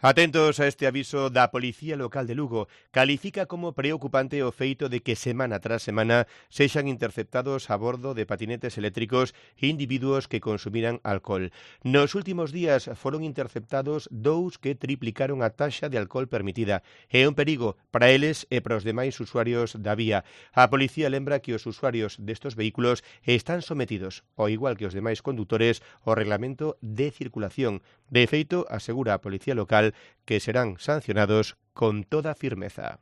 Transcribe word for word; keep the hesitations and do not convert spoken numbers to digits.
Atentos a este aviso da Policía Local de Lugo. Califica como preocupante o feito de que semana tras semana sexan interceptados a bordo de patinetes eléctricos individuos que consumiran alcohol. Nos últimos días foron interceptados dous que triplicaron a taxa de alcohol permitida. É un perigo para eles e para os demais usuarios da vía. A policía lembra que os usuarios destos vehículos están sometidos, ao igual que os demais condutores, ao reglamento de circulación. De feito, asegura a Policía Local que serán sancionados con toda firmeza.